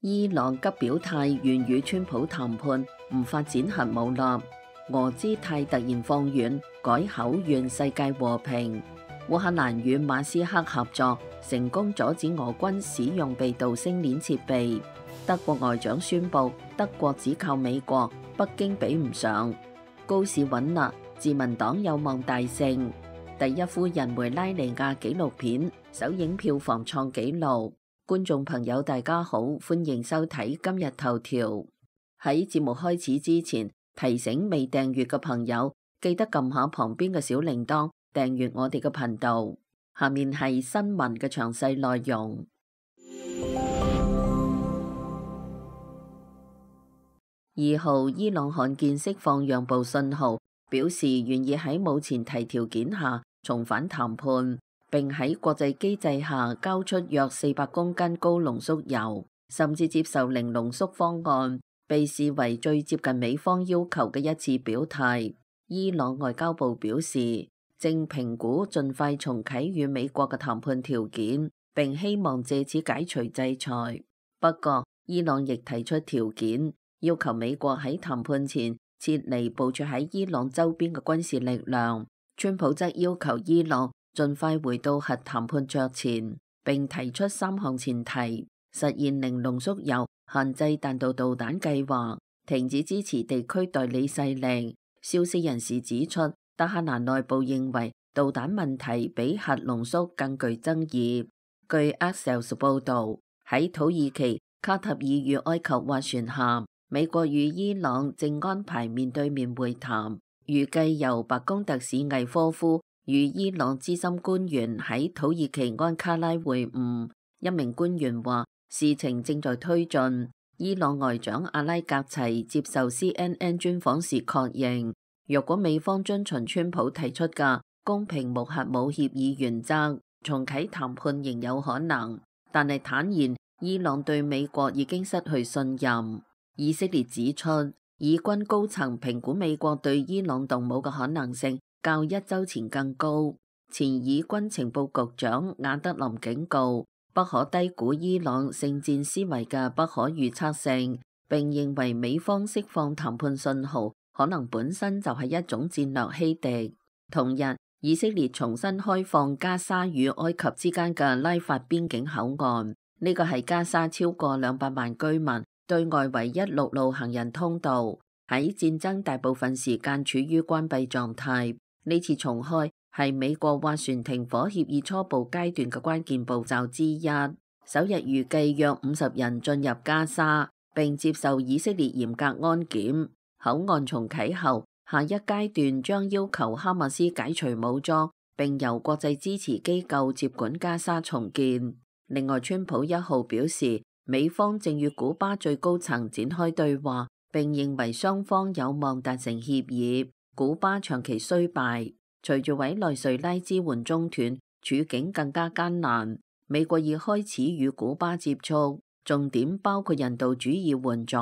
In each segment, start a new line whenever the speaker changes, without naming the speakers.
伊朗急表態願與川普談判，唔發展核武啦。俄姿態突然放軟，改口願世界和平。烏克蘭與馬斯克合作，成功阻止俄軍使用被盜星鏈設備。德國外長宣布，德國只靠美國，北京比唔上。高市穩啦，自民黨有望大勝。第一夫人梅拉尼亞紀錄片首映票房創紀錄。觀眾朋友大家好，歡迎收睇今日頭條。喺節目開始之前，提醒未訂閱嘅朋友記得撳下旁邊嘅小鈴鐺，訂閱我哋嘅頻道。下面係新聞嘅詳細內容。2號，伊朗罕見釋放讓步信號，表示願意喺冇前提條件下重返談判。並喺國際機制下交出約400公斤高濃縮鈾，甚至接受零濃縮方案，被視為最接近美方要求嘅一次表態。伊朗外交部表示，正評估盡快重啟與美國嘅談判條件，並希望借此解除制裁。不過，伊朗亦提出條件，要求美國喺談判前撤離部署喺伊朗周邊嘅軍事力量。川普則要求伊朗盡快回到核談判桌前，並提出3項前提：實現零濃縮鈾、限制彈道導彈計劃、停止支持地區代理勢力。消息人士指出，德黑蘭內部認為導彈問題比核濃縮更具爭議。據 Axios 報導，喺土耳其、卡塔爾與埃及斡旋下，美國與伊朗正安排面對面會談，預計由白宮特使魏科夫與伊朗資深官員喺土耳其安卡拉會晤。一名官員話，事情正在推進。伊朗外長阿拉格齊接受 CNN 專訪時確認，若果美方遵循川普提出嘅公平無核武協議原則，重啟談判仍有可能。但係坦言，伊朗對美國已經失去信任。以色列指出，以軍高層評估美國對伊朗動武嘅可能性較1週前更高。前以軍情報局長亞德林警告，不可低估伊朗聖戰思維嘅不可預測性，並認為美方釋放談判信號可能本身就係一種戰略欺敵。同日，以色列重新開放加沙與埃及之間嘅拉法邊境口岸，呢個係加沙超過200萬居民對外唯一陸路行人通道，喺戰爭大部分時間處於關閉狀態。呢次重開係美國斡旋停火協議初步階段嘅關鍵步驟之一。首日預計約50人進入加沙，並接受以色列嚴格安檢。口岸重啟後，下一階段將要求哈馬斯解除武裝，並由國際支持機構接管加沙重建。另外，川普1號表示，美方正與古巴最高層展開對話，並認為雙方有望達成協議。古巴長期衰敗，隨住委內瑞拉支援中斷，處境更加艱難。美國已開始與古巴接觸，重點包括人道主義援助。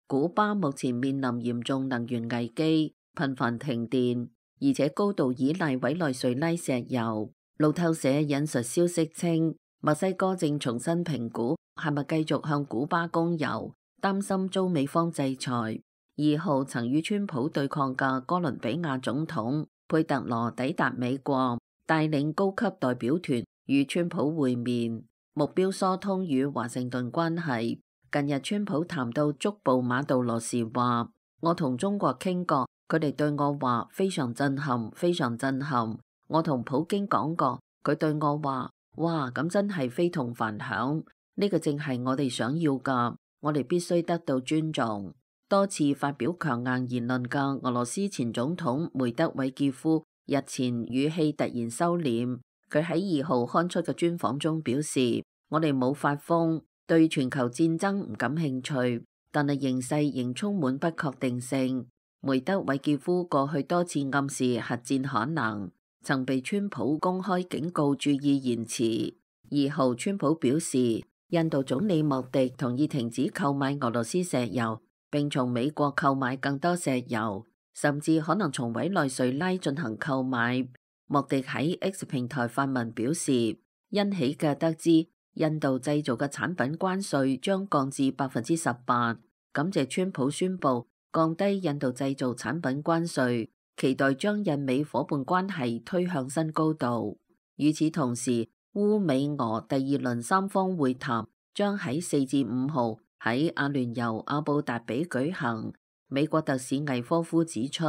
古巴目前面臨嚴重能源危機，頻繁停電，而且高度依賴委內瑞拉石油。路透社引述消息稱，墨西哥正重新評估係咪繼續向古巴供油，擔心遭美方制裁。2號曾與川普對抗嘅哥倫比亞總統佩特羅抵達美國，帶領高級代表團與川普會面，目標疏通與華盛頓關係。近日川普談到觸捕馬杜羅時話，我同中國傾過，佢哋對我話非常震撼，非常震撼。我同普京講過，佢對我話，哇，咁真係非同凡響，呢個正係我哋想要㗎，我哋必須得到尊重。多次發表強硬言論嘅俄羅斯前總統梅德韋傑夫日前語氣突然收斂，佢喺2號刊出嘅專訪中表示，我哋冇發瘋，對全球戰爭唔感興趣，但係形勢仍充滿不確定性。梅德韋傑夫過去多次暗示核戰可能，曾被川普公開警告注意言辭。2號川普表示，印度總理莫迪同意停止購買俄羅斯石油，並從美國購買更多石油，甚至可能從委內瑞拉進行購買。莫迪喺 X 平台發文表示，欣喜嘅得知印度製造嘅產品關稅將降至18%。感謝川普宣布降低印度製造產品關稅，期待將印美夥伴關係推向新高度。與此同時，烏美俄第二輪三方會談將喺4至5號喺阿聯酋阿布達比舉行。美國特使魏科夫指出，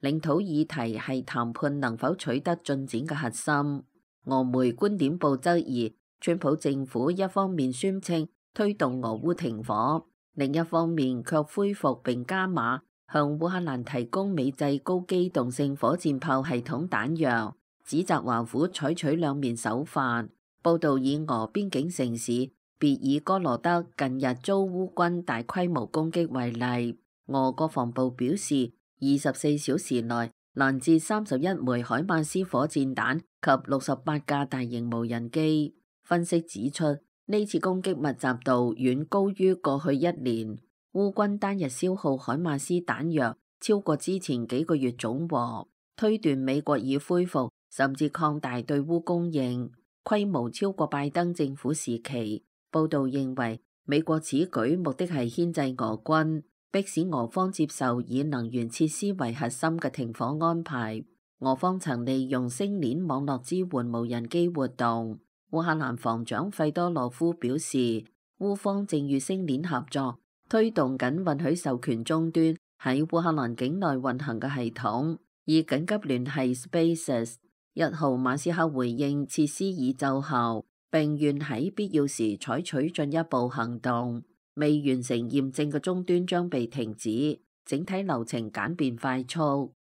領土議題係談判能否取得進展嘅核心。俄媒觀點報質疑，川普政府一方面宣稱推動俄烏停火，另一方面卻恢復並加碼向烏克蘭提供美製高機動性火箭炮系統彈藥，指責華府採取兩面手法。報道以俄邊境城市別爾哥羅德近日遭烏軍大規模攻擊為例，俄國防部表示，24小時內攔截31枚海馬斯火箭彈及68架大型無人機。分析指出，呢次攻擊密集度遠高於過去一年，烏軍單日消耗海馬斯彈藥超過之前幾個月總和，推斷美國已恢復甚至擴大對烏供應，規模超過拜登政府時期。報道認為，美國此舉目的係牽制俄軍，迫使俄方接受以能源設施為核心嘅停火安排。俄方曾利用星鏈網絡支援無人機活動。烏克蘭防長費多羅夫表示，烏方正與星鏈合作，推動緊允許授權終端喺烏克蘭境內運行嘅系統，以緊急聯繫 Spaces。1號馬斯克回應設施已奏效，並願喺必要時採取進一步行動。未完成驗證嘅終端將被停止，整體流程簡便快速。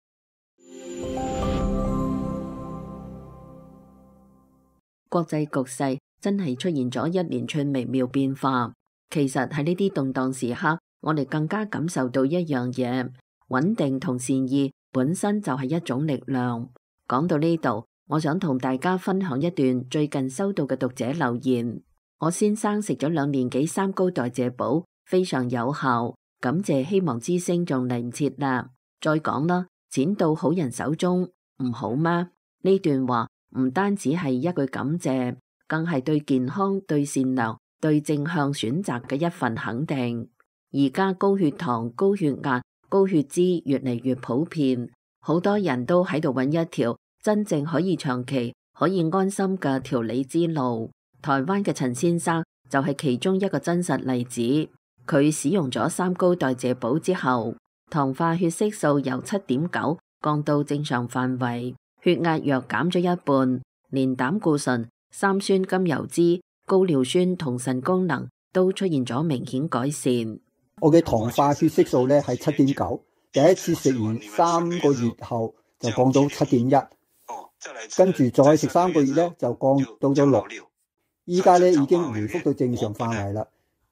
國際局勢真係出現咗一連串微妙變化。其實喺呢啲動盪時刻，我哋更加感受到一樣嘢：穩定同善意本身就係一種力量。講到呢度，我想同大家分享一段最近收到嘅讀者留言。我先生食咗2年幾3高代謝寶，非常有效，感謝希望之聲仲嚟唔切啦。再講啦，錢到好人手中唔好嗎？呢段話唔單止係一句感謝，更係對健康、對善良、對正向選擇嘅一份肯定。而家高血糖、高血壓、高血脂越嚟越普遍，好多人都喺度揾一條真正可以長期、可以安心嘅調理之路。台灣嘅陳先生就係其中一個真實例子。佢使用咗3高代謝寶之後，糖化血色素由7.9降到正常範圍，血壓藥減咗一半，連膽固醇、三酸甘油脂、高尿酸同腎功能都出現咗明顯改善。
我嘅糖化血色素咧係7.9，第一次食完3個月後就降到7.1，跟住再食3個月咧就降到咗6。依家咧已經回復到正常範圍啦。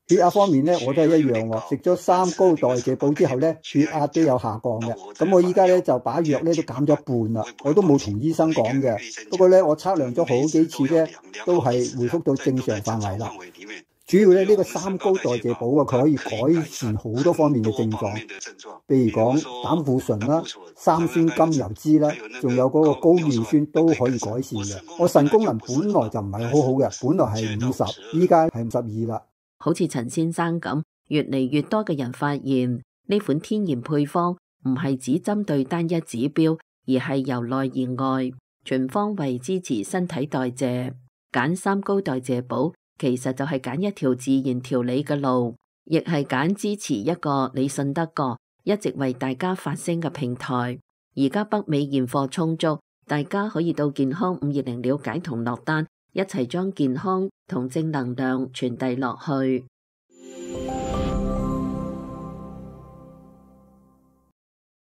血壓方面咧，我都係一樣喎。食咗3高代謝寶之後咧，血壓都有下降嘅。咁我依家咧就把藥咧都減咗一半啦。我都冇同醫生講嘅。不過咧，我測量咗好幾次咧，都係回復到正常範圍啦。主要咧呢個3高代謝寶啊，佢可以改善好多方面嘅症狀，譬如講膽固醇啦、三酸甘油脂啦，仲有嗰個高尿酸都可以改善嘅。我腎功能本來就唔係好好嘅，本來係50，依家係52啦。
好似陳先生咁，越嚟越多嘅人發現呢款天然配方唔係只針對單一指標，而係由內而外全方位支持身體代謝。揀3高代謝寶其實就係揀一條自然調理嘅路，亦係揀支持一個你信得過、一直為大家發聲嘅平台。而家北美現貨充足，大家可以到健康520了解同落單，一齊將健康同正能量傳遞落去。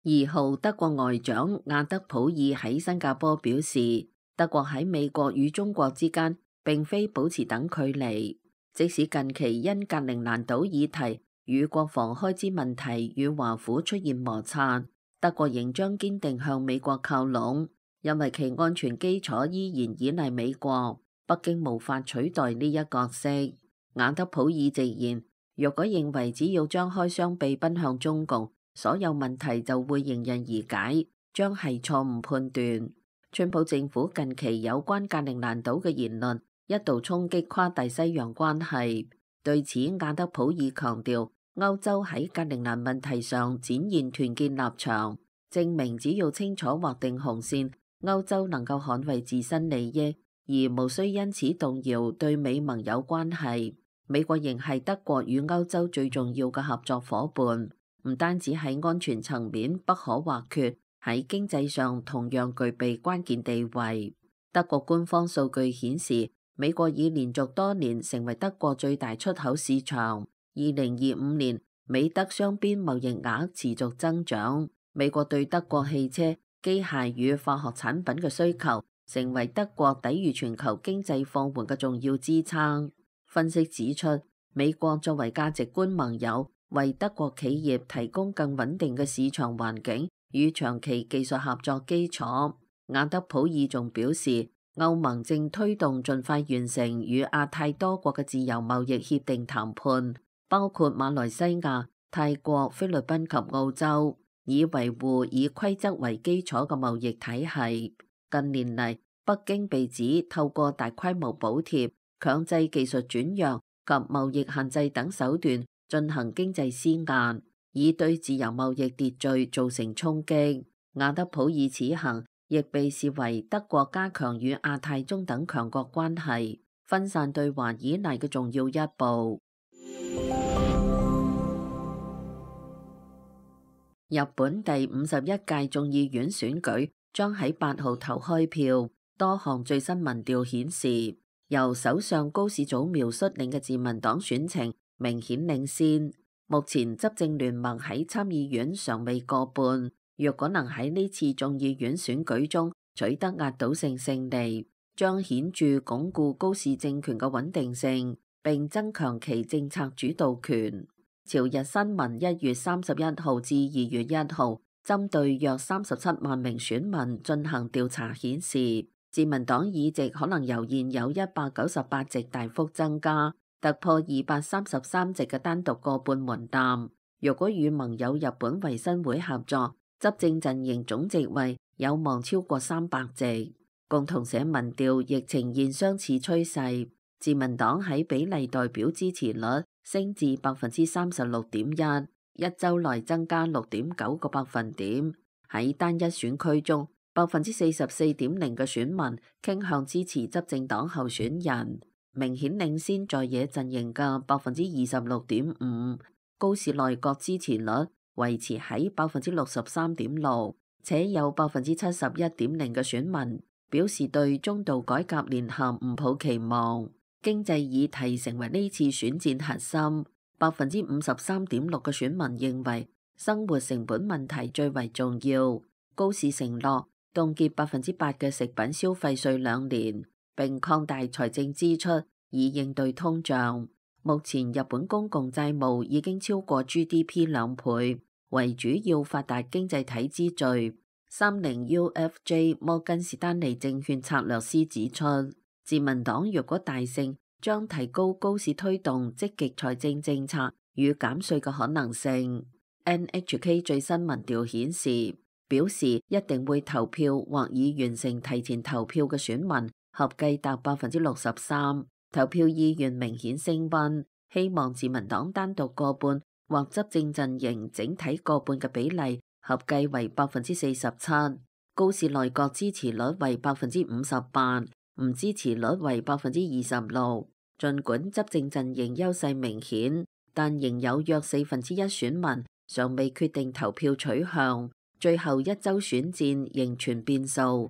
2號德國外長亞德普爾喺新加坡表示，德國喺美國與中國之間並非保持等距離，即使近期因格陵蘭島議題與國防開支問題與華府出現摩擦，德國仍將堅定向美國靠攏，因為其安全基礎依然依賴美國。北京無法取代呢一角色。亞德普爾直言，若果認為只要張開雙臂奔向中共，所有問題就會迎刃而解，將係錯誤判斷。川普政府近期有關格陵蘭島嘅言論一度衝擊跨大西洋關係。對此，亞德普爾強調，歐洲喺格陵蘭問題上展現團結立場，證明只要清楚劃定紅線，歐洲能夠捍衛自身利益，而無需因此動搖對美盟友關係。美國仍係德國與歐洲最重要嘅合作夥伴，唔單止喺安全層面不可或缺，喺經濟上同樣具備關鍵地位。德國官方數據顯示，美國已連續多年成為德國最大出口市場。2025年，美德雙邊貿易額持續增長。美國對德國汽車、機械與化學產品嘅需求，成為德國抵禦全球經濟放緩嘅重要支撐。分析指出，美國作為價值觀盟友，為德國企業提供更穩定嘅市場環境與長期技術合作基礎。亞德普爾仲表示，歐盟正推動盡快完成與亞太多國嘅自由貿易協定談判，包括馬來西亞、泰國、菲律賓及澳洲，以維護以規則為基礎嘅貿易體系。近年嚟，北京被指透過大規模補貼、強制技術轉讓及貿易限制等手段進行經濟施壓，以對自由貿易秩序造成衝擊。亞德普爾此行亦被視為德國加強與亞太中等強國關係、分散對華依賴嘅重要一步。日本第51屆眾議院選舉將喺8號投開票，多項最新民調顯示，由首相高市早苗率領嘅自民黨選情明顯領先。目前執政聯盟喺參議院尚未過半。若果能喺呢次眾議院選舉中取得壓倒性勝利，將顯著鞏固高市政權嘅穩定性，並增強其政策主導權。朝日新聞1月31號至2月1號針對約37萬名選民進行調查顯示，自民黨議席可能由現有198席大幅增加，突破233席嘅單獨過半門檻。若果與盟友日本維新會合作，執政陣營總席位有望超過300席。共同社民調亦呈現相似趨勢，自民黨喺比例代表支持率升至36.1%，一周內增加6.9個百分點。喺單一選區中，44.0%嘅選民傾向支持執政黨候選人，明顯領先在野陣營嘅26.5%。高市內閣支持率維持喺63.6%，且有71.0%嘅選民表示對中度改革年限唔抱期望。經濟議題成為呢次選戰核心，53.6%嘅選民認為生活成本問題最為重要。高市承諾凍結8%嘅食品消費稅2年，並擴大財政支出以應對通脹。目前日本公共債務已經超過 GDP 2倍，為主要發達經濟體之最。30UFJ 摩根士丹利證券策略師指出，自民黨若果大勝，將提高高市推動積極財政政策與減稅嘅可能性。NHK 最新民調顯示，表示一定會投票或已完成提前投票嘅選民合計達63%，投票意願明顯升溫，希望自民黨單獨過半或執政陣營整體過半嘅比例合計為47%。高市內閣支持率為58%，唔支持率為26%。儘管執政陣營優勢明顯，但仍有約1/4選民尚未決定投票取向。最後一周選戰仍存變數。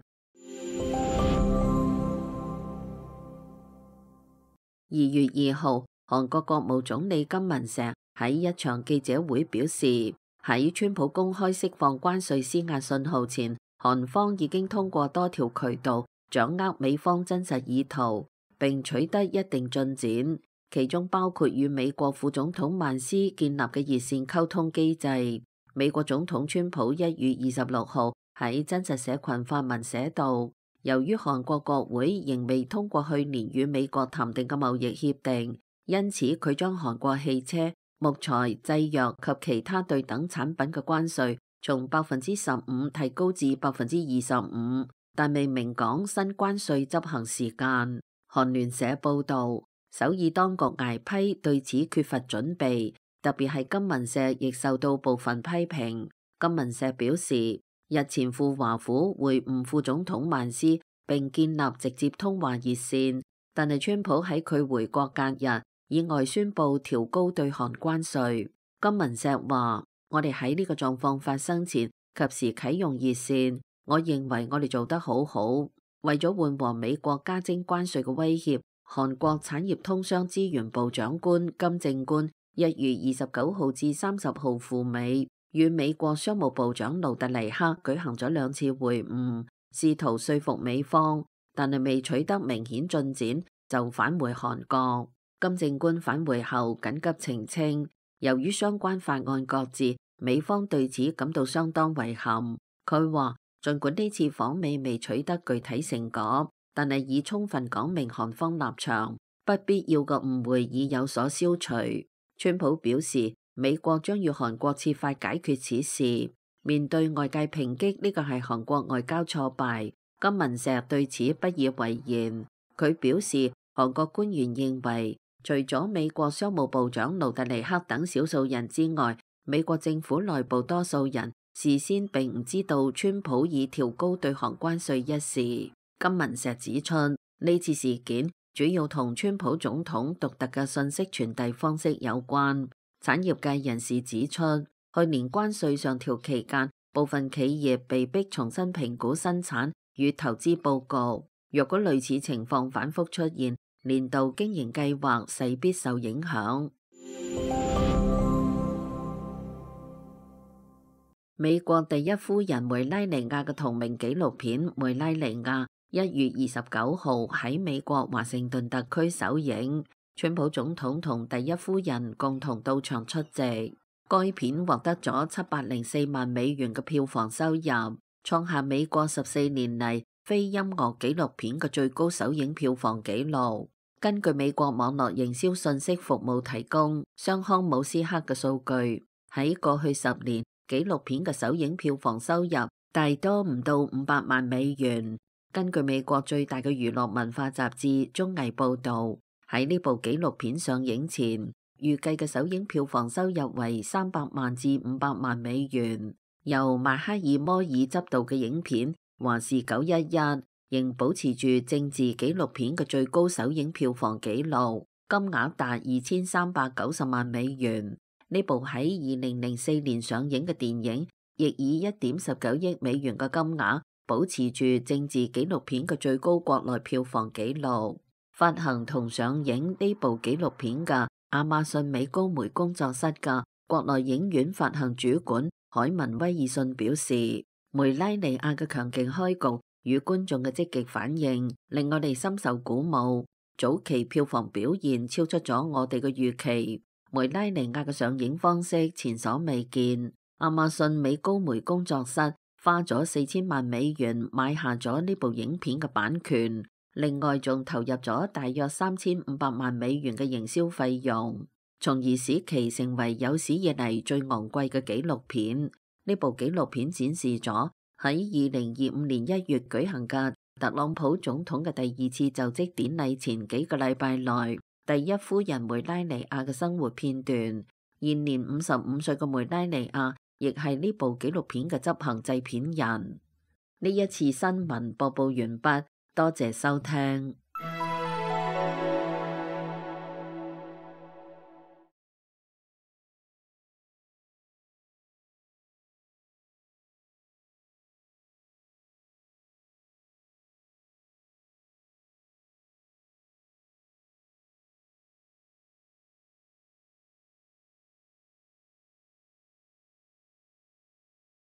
2月2號，韓國國務總理金文錫喺一場記者會表示，喺川普公開釋放關稅施壓信號前，韓方已經通過多條渠道掌握美方真實意圖，並取得一定進展，其中包括與美國副總統萬斯建立嘅熱線溝通機制。美國總統川普1月26號喺真實社群發文寫道，由於韓國國會仍未通過去年與美國談訂嘅貿易協定，因此佢將韓國汽車、木材、製藥及其他對等產品嘅關稅從15%提高至25%，但未明講新關稅執行時間。韓聯社報導，首爾當局挨批對此缺乏準備，特別係金文碩亦受到部分批評。金文碩表示，日前赴華府會晤副總統萬斯並建立直接通話熱線，但係川普喺佢回國隔日意外宣布調高對韓關稅。金文碩話：我哋喺呢個狀況發生前及時啟用熱線，我認為我哋做得好好。為咗緩和美國加徵關稅嘅威脅，韓國產業通商資源部長官金正官1月29號至30號赴美，與美國商務部長盧特尼克舉行咗2次會晤，試圖說服美方，但係未取得明顯進展就返回韓國。金正官返回後緊急澄清，由於相關法案擱置，美方對此感到相當遺憾。佢話，儘管呢次訪美未取得具體成果，但係已充分講明韓方立場，不必要嘅誤會已有所消除。川普表示，美國將與韓國設法解決此事。面對外界抨擊呢個係韓國外交挫敗，金文碩對此不以為然。佢表示，韓國官員認為，除咗美國商務部長盧特尼克等少數人之外，美國政府內部多數人事先並唔知道川普已調高對韓關稅一事。金文碩指出，呢次事件主要同川普總統獨特嘅信息傳遞方式有關。產業界人士指出，去年關稅上調期間，部分企業被迫重新評估生產與投資報告。若果類似情況反覆出現，年度經營計劃勢必受影響。美國第一夫人梅拉尼亞嘅同名紀錄片《梅拉尼亞》1月29號喺美國華盛頓特區首映，川普總統同第一夫人共同到場出席。該片獲得咗704萬美元嘅票房收入，創下美國14年嚟非音樂紀錄片嘅最高首映票房紀錄。根據美國網絡營銷信息服務提供雙康姆斯克嘅數據，喺過去10年，紀錄片嘅首映票房收入大多唔到500萬美元。根據美國最大嘅娛樂文化雜誌綜藝報導，喺呢部紀錄片上映前，預計嘅首映票房收入為300萬至500萬美元。由邁克爾摩爾執導嘅影片《華氏911》仍保持住政治紀錄片嘅最高首映票房紀錄，金額達2390萬美元。呢部喺2004年上映嘅電影，亦以1.19億美元嘅金額保持住政治紀錄片嘅最高國內票房紀錄。發行同上映呢部紀錄片嘅亞馬遜美高梅工作室嘅國內影院發行主管海文威爾遜表示，梅拉尼亞嘅強勁開局與觀眾嘅積極反應令我哋深受鼓舞，早期票房表現超出咗我哋嘅預期。梅拉尼亞嘅上映方式前所未見，亞馬遜美高梅工作室花咗4000萬美元買下咗呢部影片嘅版權，另外仲投入咗大約3500萬美元嘅營銷費用，從而使其成為有史以嚟最昂貴嘅紀錄片。呢部紀錄片展示咗喺2025年1月舉行嘅特朗普總統嘅第2次就職典禮前幾個禮拜內，第一夫人梅拉尼亞嘅生活片段。現年55歲嘅梅拉尼亞亦係呢部紀錄片嘅執行製片人。呢一次新聞播報完畢，多謝收聽。